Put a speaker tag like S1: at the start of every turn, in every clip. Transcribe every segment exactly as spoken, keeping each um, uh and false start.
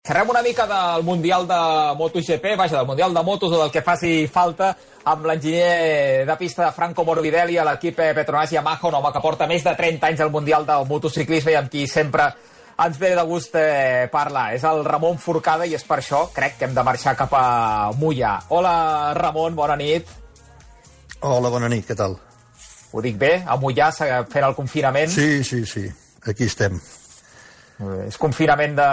S1: Xerrem una mica del Mundial de MotoGP, vaja, del Mundial de Motos o del que faci falta, amb l'enginyer de pista de Franco Morbidelli a l'equip Petronas Yamaha, un home que porta més de trenta anys al Mundial del motociclisme i amb qui sempre ens ve de gust eh, parlar. És el Ramon Forcada i és per això, crec, que hem de marxar cap a Moià. Hola, Ramon, bona nit.
S2: Hola, bona nit, què tal?
S1: Ho dic bé? A Moià fent el confinament?
S2: Sí, sí, sí, aquí estem.
S1: És confinament de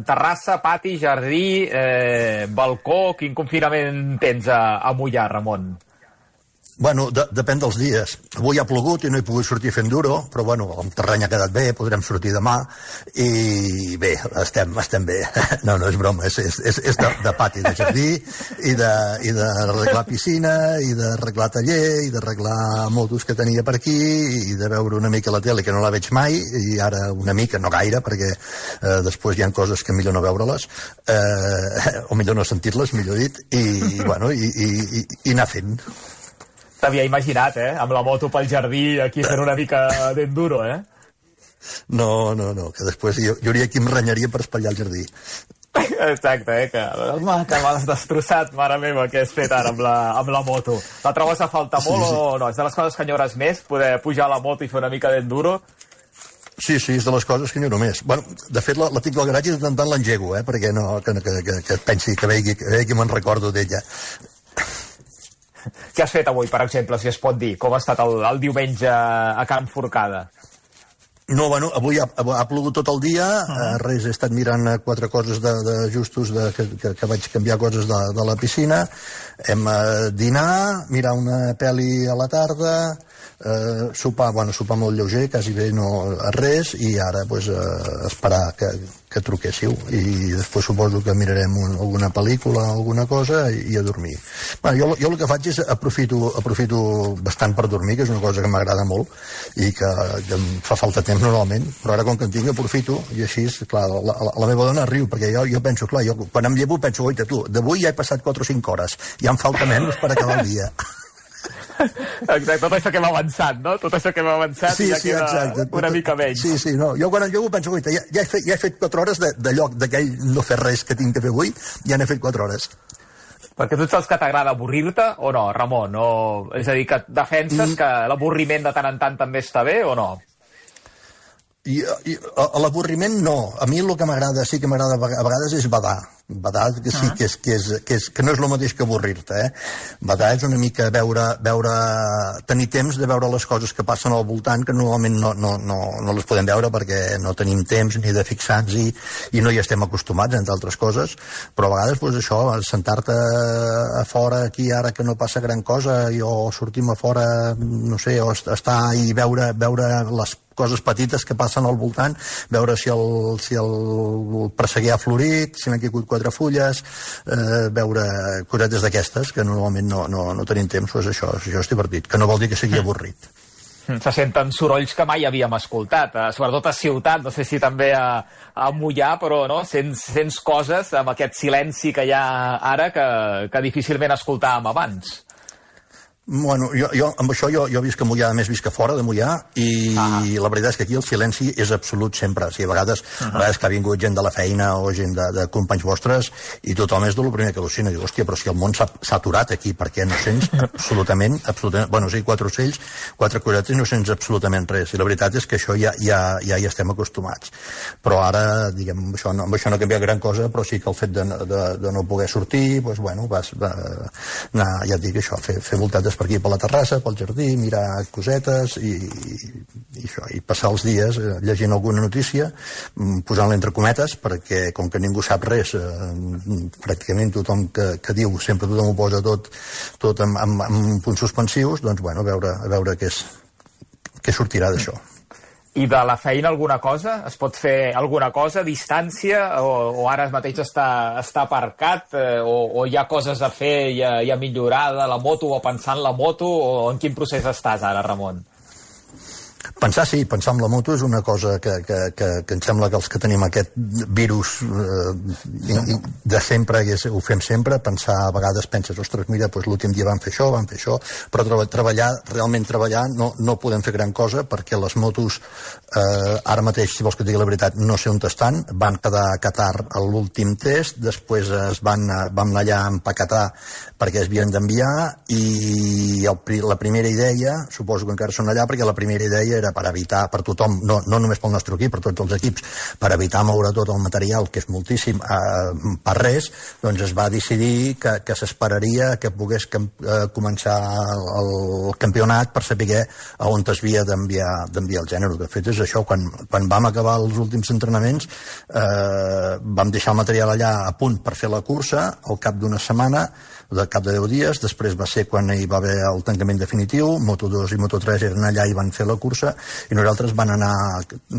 S1: terrassa, pati, jardí, eh, balcó... Quin confinament tens a, a Moià, Ramon?
S2: Bueno, de, depèn dels dies. Avui ha plogut i no he pogut sortir fent duro, però bueno, el terreny ha quedat bé, podrem sortir demà i bé, estem, estem bé. No, no és broma, és, és, és de, de pati, de jardí i de, i d'arreglar piscina i d'arreglar taller i d'arreglar motos que tenia per aquí i de veure una mica la tele que no la veig mai i ara una mica, no gaire, perquè eh, després hi ha coses que millor no veure-les eh, o millor no sentir-les, millor dit, i bueno, i, i, i, i anar fent.
S1: T'havia imaginat, eh? Amb la moto pel jardí, aquí fent una mica d'enduro, eh?
S2: No, no, no, que després jo, jo hauria qui em renyaria per espatllar el jardí.
S1: Exacte, eh? Que, home, que m'has destrossat, mare meva, què has fet ara amb la, amb la moto. La trobes a faltar molt sí, sí. o no? És de les coses que enyores més, poder pujar a la moto i fer una mica d'enduro?
S2: Sí, sí, és de les coses que enyoro més. Bueno, de fet, la, la tinc al garatge i de tant tant l'engego, eh? Perquè no, que, que, que, que pensi que vegi que, vegi que me'n recordo d'ella.
S1: Què has fet avui, per exemple, si es pot dir? Com ha estat el, el diumenge a Can Forcada?
S2: No, bueno, avui ha, ha plogut tot el dia, uh -huh. eh, res, he estat mirant quatre coses d'ajustos, de, de, que, que, que vaig canviar coses de, de la piscina, hem eh, dinar, mirar una pel·li a la tarda, eh, sopar, bueno, sopar molt lleuger, quasi bé no res, i ara pues, eh, esperar que, que truquéssiu, i després suposo que mirarem un, alguna pel·lícula, alguna cosa, i, i a dormir. Bueno, jo, jo el que faig és aprofito, aprofito bastant per dormir, que és una cosa que m'agrada molt, i que, que em fa falta temps normalment, però ara com que en tinc aprofito, i així, clar, la, la, la meva dona riu, perquè jo, jo penso, clar, jo quan em llevo penso, oita, tu, d'avui ja he passat quatre o cinc hores, ja em falta menys per acabar el dia.
S1: Exacte, tot això que hem avançat, no? Tot això que hem avançat
S2: sí,
S1: ja
S2: sí,
S1: queda
S2: exacte.
S1: una mica menys.
S2: Sí, sí, no. Jo quan em llevo penso, oita, ja, ja, he fet, ja he fet quatre hores de, de lloc d'aquell no fer res que tinc que fer avui, ja n'he fet quatre hores.
S1: Perquè tu ets els que t'agrada avorrir-te o no, Ramon? O, és a dir, que defenses mm. que l'avorriment de tant en tant també està bé o no?
S2: I, i l'avorriment no. A mi el que m'agrada, sí que m'agrada a vegades és badar. Badar, que sí, que, és, que, és, que, és, que no és el mateix que avorrir-te, eh? Badar és una mica veure, veure, tenir temps de veure les coses que passen al voltant, que normalment no, no, no, no les podem veure perquè no tenim temps ni de fixar-nos-hi i no hi estem acostumats, entre altres coses, però a vegades, doncs això, sentar-te a fora aquí ara que no passa gran cosa, i, o sortim a fora, no sé, o estar i veure, veure les coses petites que passen al voltant, veure si el, si el presseguer ha florit, si n'han caigut quatre fulles, eh, veure cosetes d'aquestes, que normalment no, no, no tenim temps, doncs això, això és divertit, que no vol dir que sigui avorrit.
S1: Se senten sorolls que mai havíem escoltat, eh, sobretot a ciutat, no sé si també a, a Moià, però no? sents, sents coses amb aquest silenci que hi ha ara que, que difícilment escoltàvem abans.
S2: Bueno, jo, jo, amb això jo, jo visc a Moià, a més visc a fora de Moià, i ah. la veritat és que aquí el silenci és absolut sempre. O sigui, a vegades, uh -huh. a vegades que ha vingut gent de la feina o gent de, de companys vostres i tothom és del primer que al·lucina. Diu, hòstia, però si el món s'ha aturat aquí, perquè no sents absolutament, absolutament, bueno, o sigui, quatre ocells, quatre cosetes, no sents absolutament res. I la veritat és que això ja, ja, ja hi estem acostumats. Però ara, diguem, amb això no, amb això no canvia gran cosa, però sí que el fet de, de, de no poder sortir, doncs, bueno, vas, va, anar, ja et dic això, fer, fer voltades per aquí, per la terrassa, pel jardí, mirar cosetes i, i això, i passar els dies eh, llegint alguna notícia, posant-la entre cometes, perquè com que ningú sap res, eh, pràcticament tothom que, que diu, sempre tothom ho posa tot, tot amb, amb, amb punts suspensius, doncs bueno, a veure, a veure què, és, què sortirà d'això.
S1: I de la feina alguna cosa? Es pot fer alguna cosa a distància? O, o ara mateix està, està aparcat? Eh, o, o hi ha coses a fer i a, i a millorar de la moto o a pensar en la moto? O en quin procés estàs ara, Ramon?
S2: Pensar, sí, pensar en la moto és una cosa que, que, que, que em sembla que els que tenim aquest virus eh, de sempre, i ho fem sempre, pensar a vegades penses, ostres, mira, doncs l'últim dia van fer això, van fer això, però treba, treballar, realment treballar, no, no podem fer gran cosa perquè les motos, eh, ara mateix, si vols que et digui la veritat, no sé on estan, van quedar a Qatar a l'últim test, després es van, vam anar allà a empaquetar perquè es havien d'enviar, i el, la primera idea, suposo que encara són allà, perquè la primera idea era per evitar, per tothom, no, no només pel nostre equip, per tots els equips, per evitar moure tot el material, que és moltíssim, eh, per res, doncs es va decidir que, que s'esperaria que pogués que, eh, començar el, el campionat per saber a on es havia d'enviar d'enviar el gènere. De fet, és això, quan, quan vam acabar els últims entrenaments, eh, vam deixar el material allà a punt per fer la cursa, al cap d'una setmana, de cap de deu dies, després va ser quan hi va haver el tancament definitiu, Moto dos i Moto tres eren allà i van fer la cursa, i nosaltres van anar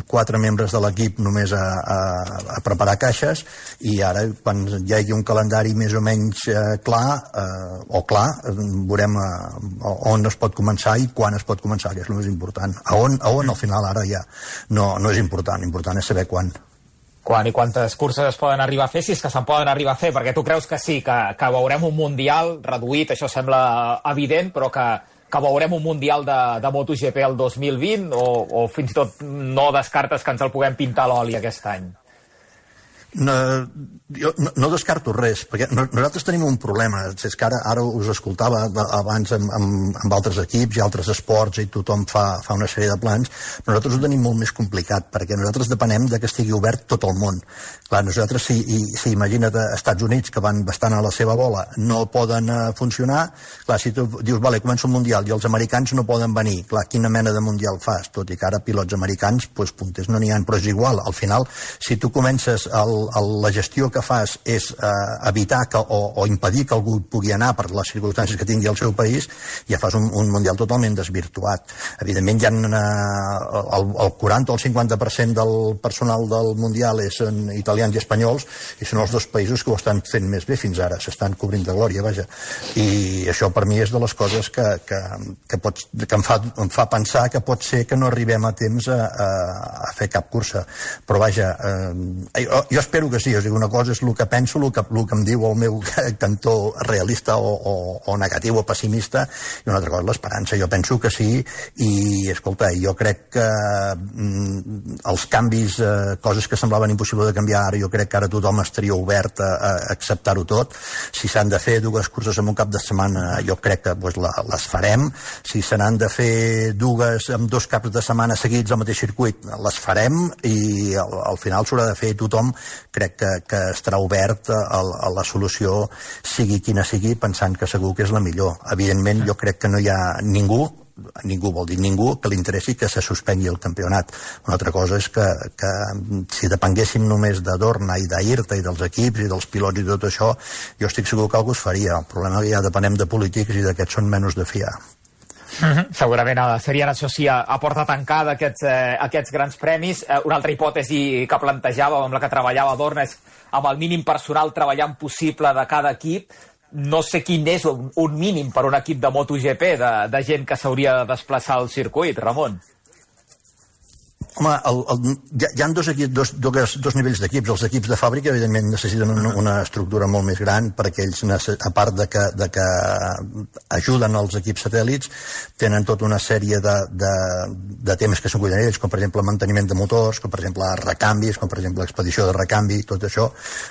S2: quatre membres de l'equip només a, a, a preparar caixes, i ara, quan hi hagi un calendari més o menys eh, clar, eh, o clar, eh, veurem eh, on es pot començar i quan es pot començar, que és el més important. A on, a on al final ara ja no, no és important, important és saber quan.
S1: Quan i quantes curses es poden arribar a fer, si és que se'n poden arribar a fer, perquè tu creus que sí, que, que veurem un mundial reduït, això sembla evident, però que, que veurem un mundial de, de MotoGP el dos mil vint, o, o fins i tot no descartes que ens el puguem pintar a l'oli aquest any?
S2: No, jo no, no descarto res, perquè nosaltres tenim un problema. És que ara, ara us escoltava abans amb, amb, amb altres equips i altres esports, i tothom fa, fa una sèrie de plans, però nosaltres ho tenim molt més complicat, perquè nosaltres depenem de que estigui obert tot el món. Clar, nosaltres, si, si imagina't a Estats Units, que van bastant a la seva bola, no poden uh, funcionar, clar, si tu dius, vale, comença un mundial, i els americans no poden venir, clar, quina mena de mundial fas? Tot i que ara pilots americans, doncs, punters no n'hi ha, però és igual. Al final, si tu comences el El, la gestió que fas és eh, evitar que, o, o impedir que algú pugui anar per les circumstàncies que tingui al seu país, ja fas un, un mundial totalment desvirtuat. Evidentment hi ha eh, el, el quaranta o el cinquanta per cent del personal del mundial són italians i espanyols, i són els dos països que ho estan fent més bé fins ara, s'estan cobrint de glòria, vaja. I això per mi és de les coses que, que, que, pots, que em, fa, em fa pensar que pot ser que no arribem a temps a, a, a fer cap cursa. Però vaja, eh, jo, jo espero que sí, o sigui, una cosa és el que penso, el que, el que em diu el meu cantó realista o, o, o negatiu o pessimista, i una altra cosa és l'esperança. Jo penso que sí, i escolta, jo crec que mm, els canvis, eh, coses que semblaven impossible de canviar ara, jo crec que ara tothom estaria obert a, a acceptar-ho tot. Si s'han de fer dues curses en un cap de setmana, jo crec que pues, la, les farem. Si se n'han de fer dues amb dos caps de setmana seguits al mateix circuit, les farem, i al, al final s'haurà de fer tothom. Crec que, que estarà obert a, a la solució, sigui quina sigui, pensant que segur que és la millor. Evidentment, jo crec que no hi ha ningú, ningú vol dir ningú, que li interessi que se suspengui el campionat. Una altra cosa és que, que si depenguéssim només de Dorna i d'Ayrta i dels equips i dels pilots i tot això, jo estic segur que algú es faria. El problema és que ja depenem de polítics i d'aquests són menys de fiar.
S1: Mm-hmm. Segurament serien, això sí, a, a porta tancada aquests, eh, aquests grans premis. Eh, una altra hipòtesi que plantejava, amb la que treballava Dorna, és amb el mínim personal treballant possible de cada equip. No sé quin és un, un mínim per un equip de MotoGP, de, de gent que s'hauria de desplaçar al circuit, Ramon.
S2: Home, el, el, hi, ha, hi ha dos, equip, dos, dos, dos nivells d'equips. Els equips de fàbrica, evidentment, necessiten una, una estructura molt més gran, perquè ells, a part de que, de que ajuden els equips satèl·lits, tenen tota una sèrie de, de, de temes que s'en cuiden ells, com per exemple manteniment de motors, com per exemple recanvis, com per exemple expedició de recanvi, tot això.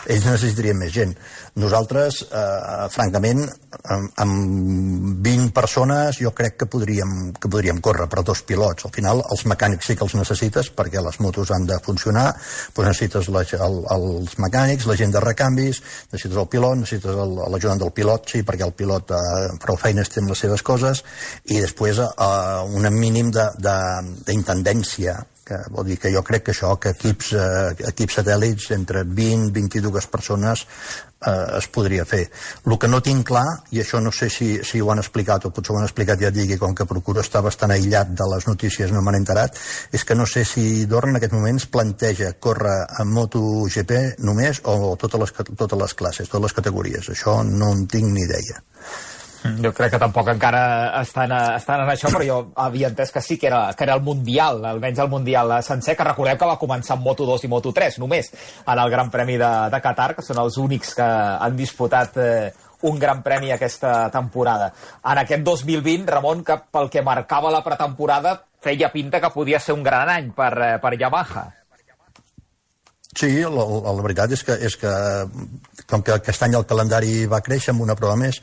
S2: Ells necessitarien més gent. Nosaltres, eh, francament, amb, amb vint persones jo crec que podríem, que podríem córrer per dos pilots. Al final, els mecànics sí que els necessiten, perquè les motos han de funcionar, doncs necessites la, el, els mecànics, la gent de recanvis, necessites el pilot, necessites l'ajudant del pilot, sí, perquè el pilot eh, prou feines té les seves coses, i després eh, un mínim d'intendència, que vol dir que jo crec que això, que equips, eh, equips satèl·lits entre vint i vint-i-dues persones eh, es podria fer. El que no tinc clar, i això no sé si, si ho han explicat o potser ho han explicat, ja et digui, com que procuro estar bastant aïllat de les notícies, no m'han enterat, és que no sé si Dorna en aquest moment es planteja córrer en MotoGP només o totes les, totes les classes, totes les categories. Això no en tinc ni idea.
S1: Jo crec que tampoc encara estan, estan en això, però jo havia entès que sí, que era, que era el Mundial, almenys el Mundial sencer, que recordem que va començar amb Moto dos i Moto tres, només, en el Gran Premi de, de Qatar, que són els únics que han disputat eh, un Gran Premi aquesta temporada. En aquest dos mil vint, Ramon, que pel que marcava la pretemporada, feia pinta que podia ser un gran any per, per Yamaha.
S2: Sí, la, la, la veritat és que, és que com que aquest any el calendari va créixer amb una prova més,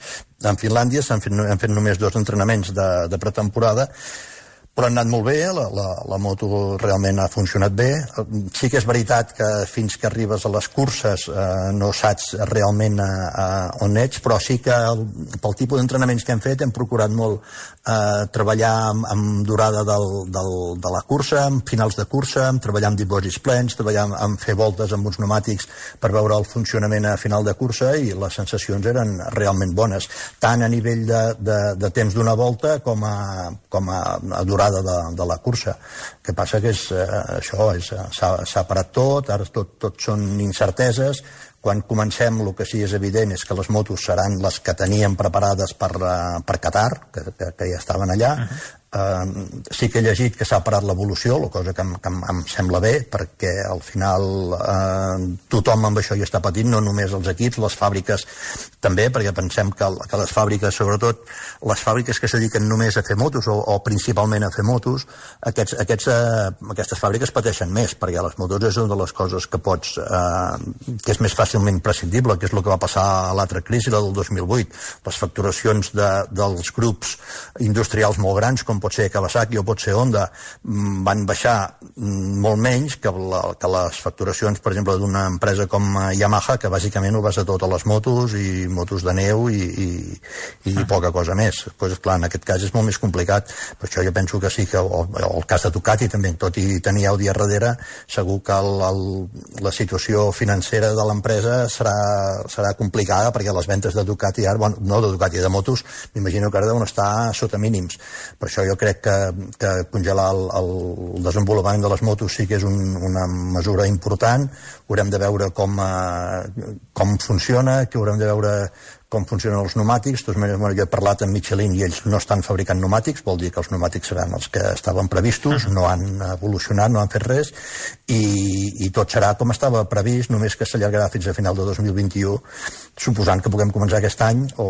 S2: en Finlàndia s'han fet, han fet només dos entrenaments de, de pretemporada, però han anat molt bé, la, la, la moto realment ha funcionat bé. Sí que és veritat que fins que arribes a les curses eh, no saps realment a, a on ets, però sí que el, pel tipus d'entrenaments que hem fet hem procurat molt eh, treballar amb, amb durada del, del, de la cursa, amb finals de cursa, amb treballar amb dipòsits plens, treballar amb, amb fer voltes amb uns pneumàtics per veure el funcionament a final de cursa, i les sensacions eren realment bones, tant a nivell de, de, de temps d'una volta com a, com a, a durada De, de la cursa. El que passa que és, eh, això s'ha parat tot, ara tot, tot són incerteses. Quan comencem, el que sí és evident és que les motos seran les que teníem preparades per, uh, per Qatar, que, que, que ja estaven allà. Uh-huh. Uh, sí que he llegit que s'ha parat l'evolució, la cosa que em, que em, em sembla bé, perquè al final uh, tothom amb això hi està patint, no només els equips, les fàbriques també, perquè pensem que, que les fàbriques, sobretot les fàbriques que es dediquen només a fer motos o, o principalment a fer motos, aquests, aquests, uh, aquestes fàbriques pateixen més, perquè les motos és una de les coses que pots uh, que és més fàcilment prescindible, que és el que va passar a l'altra crisi, la del dos mil vuit. Les facturacions de, dels grups industrials molt grans, com pot ser Kawasaki o pot ser Honda, van baixar molt menys que, la, que les facturacions, per exemple, d'una empresa com Yamaha, que bàsicament ho basa tot a les motos i motos de neu i, i, i ah. poca cosa més. Pues, clar, en aquest cas és molt més complicat, per això jo penso que sí que o, o el cas de Ducati també, tot i tenir Audi a darrere, segur que el, el, la situació financera de l'empresa serà, serà complicada, perquè les ventes de Ducati ara, bueno, no de Ducati, de motos, m'imagino que ara deuen estar sota mínims. Per això jo crec que, que congelar el, el desenvolupament de les motos sí que és un, una mesura important. Haurem de veure com, eh, com funciona, que haurem de veure com funcionen els pneumàtics. De totes maneres, bueno, jo he parlat amb Michelin i ells no estan fabricant pneumàtics, vol dir que els pneumàtics seran els que estaven previstos, no han evolucionat, no han fet res, i, i tot serà com estava previst, només que s'allargarà fins a final de dos mil vint-i-u, suposant que puguem començar aquest any o,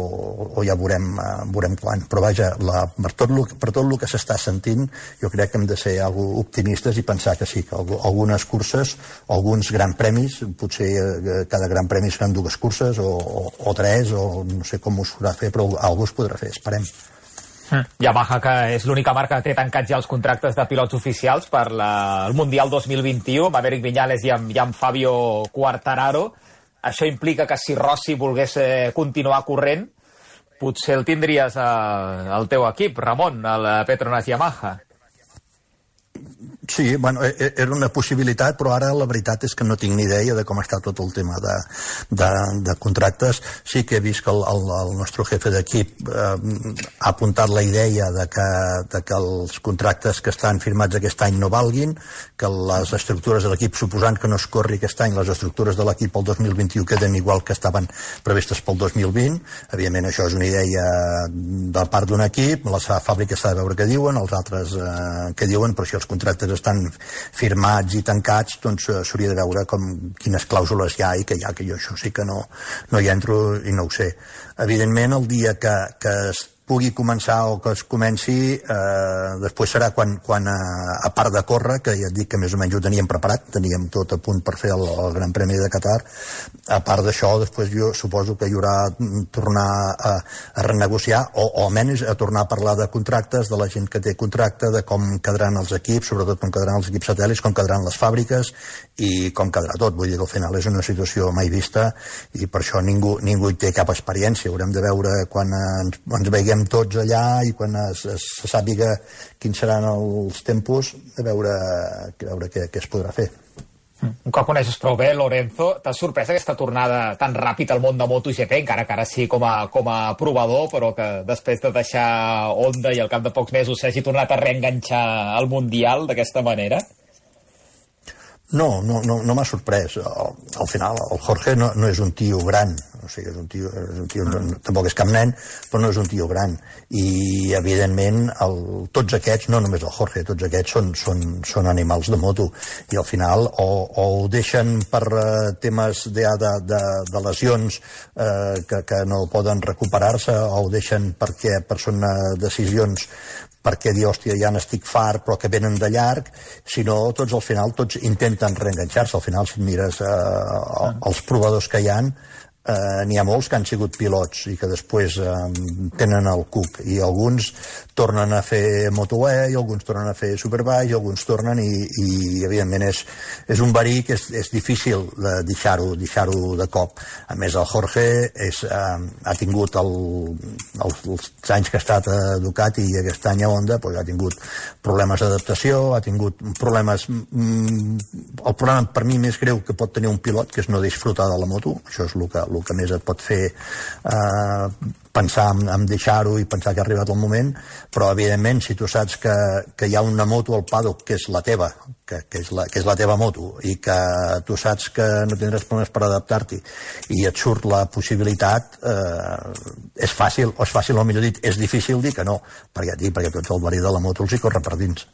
S2: o ja veurem, uh, veurem quan. Però vaja, la, per, tot lo, per tot el que s'està sentint, jo crec que hem de ser algo optimistes i pensar que sí, que algunes curses, alguns grans premis, potser uh, cada gran premi seran dues curses o, o, o tres, o no sé com us podrà fer, però algú es podrà fer, esperem.
S1: Mm. Yamaha, que és l'única marca que té tancats ja els contractes de pilots oficials per la, el Mundial dos mil vint-i-u, amb Maverick Viñales i amb, i amb Fabio Quartararo. Això implica que si Rossi volgués eh, continuar corrent, potser el tindries eh, al teu equip, Ramon, el Petronas Yamaha.
S2: Sí, bueno, era una possibilitat, però ara la veritat és que no tinc ni idea de com està tot el tema de, de, de contractes. Sí que he vist que el, el, el nostre jefe d'equip eh, ha apuntat la idea de que, de que els contractes que estan firmats aquest any no valguin, que les estructures de l'equip, suposant que no es corri aquest any, les estructures de l'equip pel dos mil vint-i-u queden igual que estaven previstes pel dos mil vint. Evidentment, això és una idea de part d'un equip, la fàbrica s'ha de veure què diuen, els altres eh, què diuen, però si els contractes estan firmats i tancats, doncs s'hauria de veure com, quines clàusules hi ha i que hi ha, que jo això sí que no, no hi entro i no ho sé. Evidentment, el dia que, que es pugui començar o que es comenci, eh, després serà quan, quan a, a part de córrer, que ja et dic que més o menys ho teníem preparat, teníem tot a punt per fer el, el Gran Premi de Qatar, a part d'això, després jo suposo que hi haurà tornar a, a renegociar, o, o almenys a tornar a parlar de contractes, de la gent que té contracte, de com quedaran els equips, sobretot com quedaran els equips satèl·lits, com quedaran les fàbriques i com quedarà tot. Vull dir que al final és una situació mai vista i per això ningú, ningú hi té cap experiència. Haurem de veure quan ens, ens veiem tots allà i quan es, es, se sàpiga quins seran els tempos, a veure, a veure què, què es podrà fer.
S1: Un cop coneixes prou bé, Lorenzo, t'ha sorprès aquesta tornada tan ràpid al món de MotoGP, encara que ara sí com a, com a provador, però que després de deixar Honda i al cap de pocs mesos s'hagi tornat a reenganxar al Mundial d'aquesta manera?
S2: No, no, no, no m'ha sorprès. Al, al final, el Jorge no, no és un tio gran, o sigui, és un tio, és un tio no, tampoc és cap nen, però no és un tio gran. I, evidentment, el, tots aquests, no només el Jorge, tots aquests són, són, són animals de moto. I al final, o, o ho deixen per uh, temes de, de, de, de lesions uh, que, que no poden recuperar-se, o ho deixen perquè per són uh, decisions perquè dir, hòstia, ja n'estic fart, però que venen de llarg, sinó tots al final, tots intenten reenganxar-se. Al final, si et mires eh, els provadors que hi ha, eh, n'hi ha molts que han sigut pilots i que després eh, tenen el cuc, i alguns tornen a fer Moto E, i alguns tornen a fer Superbike, i alguns tornen, i, i evidentment és, és un verí que és, és difícil de deixar-ho deixar-ho de cop. A més, el Jorge és, eh, ha tingut el, els, els anys que ha estat a Ducati i aquest any a Honda, doncs ha tingut problemes d'adaptació, ha tingut problemes... Mm, el problema per mi més greu que pot tenir un pilot, que és no disfrutar de la moto. Això és el que, el que més et pot fer eh, pensar en, en deixar-ho i pensar que ha arribat el moment, però evidentment si tu saps que, que hi ha una moto al paddock que és la teva, que, que, és la, que és la teva moto, i que tu saps que no tindràs problemes per adaptar-t'hi i et surt la possibilitat, eh, és fàcil, o és fàcil, o millor dit, és difícil dir que no, perquè, perquè tots el verí de la moto els hi corre per dins.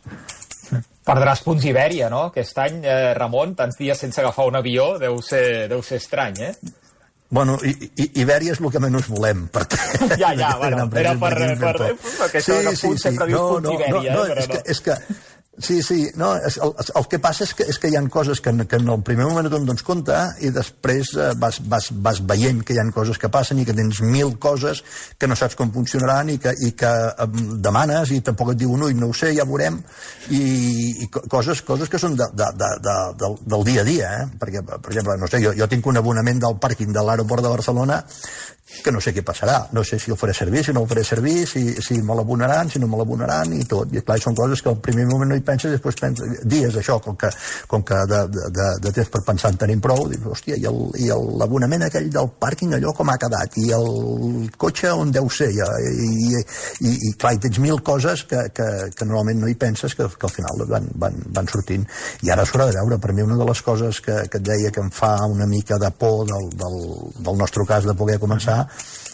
S1: Perdràs punts Ibèria, no? Aquest any, eh, Ramon, tants dies sense agafar un avió, deu ser, deu ser estrany, eh?
S2: Bueno, i, i, Ibèria és el que menys volem, perquè...
S1: Ja, ja, bueno, era per... per, per perquè això sí, sí, sí.
S2: No,
S1: dius
S2: no,
S1: Ibèria,
S2: no, no,
S1: eh, però
S2: és que, és que sí, sí, no, el, el que passa és que, és que hi ha coses que, que en el primer moment no et dones compte i després eh, vas, vas, vas veient que hi ha coses que passen i que tens mil coses que no saps com funcionaran i que, i que eh, demanes i tampoc et diuen, ui, no ho sé, ja veurem, i, i coses, coses que són de, de, de, de, del, del dia a dia, eh? Perquè, per exemple, no sé, jo, jo tinc un abonament del pàrquing de l'aeroport de Barcelona que no sé què passarà, no sé si el faré servir, si no el faré servir, si, si me l'abonaran, si no me l'abonaran i tot, i clar, són coses que al primer moment no hi penses, després penses, dies això, com que, com que de, de, de temps per pensar en tenim prou, dius, hòstia, i l'abonament aquell del pàrquing, allò com ha quedat, i el cotxe on deu ser, i, i, i, i clar, hi tens mil coses que, que, que normalment no hi penses, que, que al final van, van, van sortint, i ara s'haurà de veure. Per mi una de les coses que, que et deia que em fa una mica de por del, del, del nostre cas de poder començar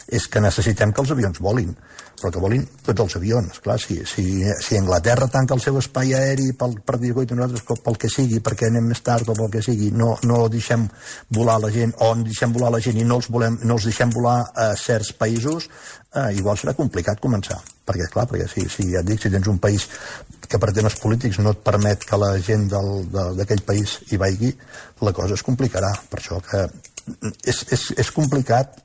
S2: és que necessitem que els avions volin, però que volin tots els avions. Clar, si, si, si Anglaterra tanca el seu espai aeri pel, per dir, coi, nosaltres pel que sigui, perquè anem més tard o pel que sigui, no, no deixem volar la gent, o deixem volar la gent i no els, volem, no els deixem volar a certs països, eh, igual serà complicat començar. Perquè, clar, perquè si, si ja et dic, si tens un país que per temes polítics no et permet que la gent d'aquell país hi vagi, la cosa es complicarà. Per això que és, és, és complicat,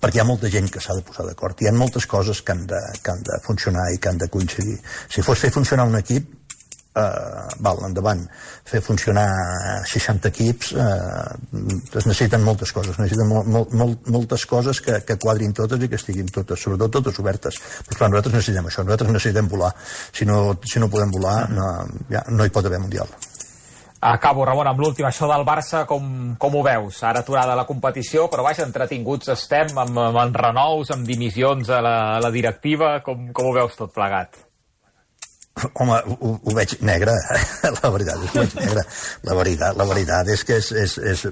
S2: perquè hi ha molta gent que s'ha de posar d'acord. Hi ha moltes coses que han, de, que han de funcionar i que han de coincidir. Si fos fer funcionar un equip, eh, val, endavant. Fer funcionar seixanta equips, eh, es necessiten moltes coses, necessiten mol, mol, mol, moltes coses que, que quadrin totes i que estiguin totes, sobretot totes obertes. Però clar, nosaltres necessitem això, nosaltres necessitem volar. Si no, si no podem volar, no, ja, no hi pot haver mundial.
S1: Acabo, Ramon, amb l'últim. Això del Barça, com, com ho veus? Ara aturada la competició, però vaja, entretinguts estem amb, amb renous, amb dimissions a la, a la directiva. Com, com ho veus tot plegat?
S2: Home, ho, ho veig negre, la veritat, ho veig negre. La veritat, la veritat és que és... és, és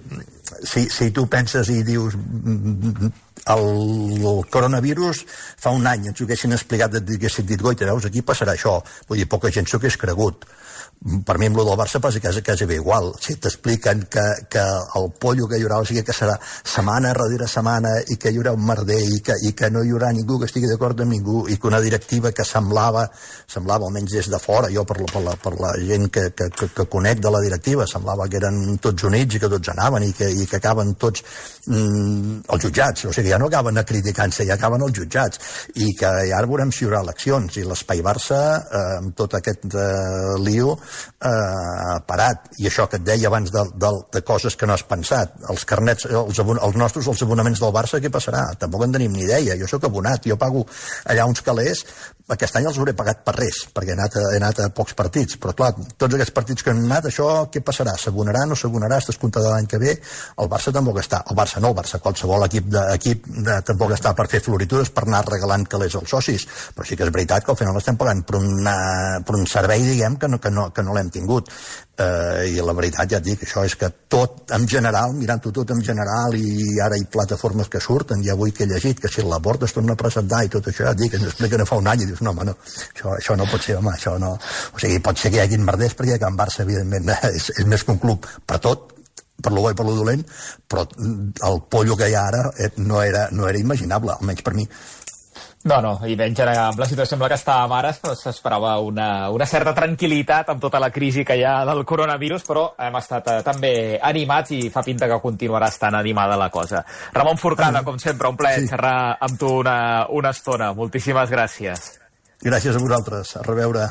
S2: si, si tu penses i dius el, el coronavirus fa un any ens ho haguessin explicat, et haguessin dit, goita, veus, aquí passarà això. Vull dir, poca gent s'ho hagués cregut. Per mi amb el del Barça passa quasi, quasi bé igual. Si t'expliquen que, que el pollo que hi haurà, o sigui que serà setmana darrere setmana i que hi haurà un merder i que, i que no hi haurà ningú que estigui d'acord amb ningú i que una directiva que semblava, semblava almenys des de fora, jo per la, per la, per la gent que, que, que, que conec de la directiva, semblava que eren tots units i que tots anaven i que, i que acaben tots mm, els jutjats, o sigui, ja no acaben a criticant-se, ja acaben els jutjats, i que ja ara veurem si hi haurà eleccions, i l'espai Barça, eh, amb tot aquest eh, lío, eh, parat. I això que et deia abans de, de, de coses que no has pensat, els carnets, els, abon, els nostres, els abonaments del Barça, què passarà? Tampoc en tenim ni idea. Jo sóc abonat, jo pago allà uns calés, aquest any els hauré pagat per res, perquè he anat a, he anat a pocs partits, però clar, tots aquests partits que han anat, això què passarà? S'abonarà, no s'abonarà, estàs comptat l'any que ve? El Barça tampoc està, el Barça no, el Barça, qualsevol equip, de, equip de, tampoc està per fer floritures, per anar regalant calés als socis, però sí que és veritat que al final estem pagant per, una, per un servei, diguem, que no, que no, que que no l'hem tingut. Eh, I la veritat, ja et dic, això és que tot en general, mirant-ho tot en general, i ara hi ha plataformes que surten, i avui que he llegit que si el Laporta es torna a presentar i tot això, ja et dic, ens expliquen fa un any i dius, no, home, no, això, això no pot ser, home, això no... O sigui, pot ser que hi hagi merders, perquè Can Barça, evidentment, és, és més que un club per tot, per lo bo i per lo dolent, però el pollo que hi ha ara no era, no era imaginable, almenys per mi.
S1: No, no, i menys ara, amb la situació amb la que estàvem ara, s'esperava una, una certa tranquil·litat amb tota la crisi que hi ha del coronavirus, però hem estat eh, també animats i fa pinta que continuarà estant animada la cosa. Ramon Forcada, com sempre, un plaer sí. xerrar amb tu una, una estona. Moltíssimes gràcies.
S2: Gràcies a vosaltres. A reveure.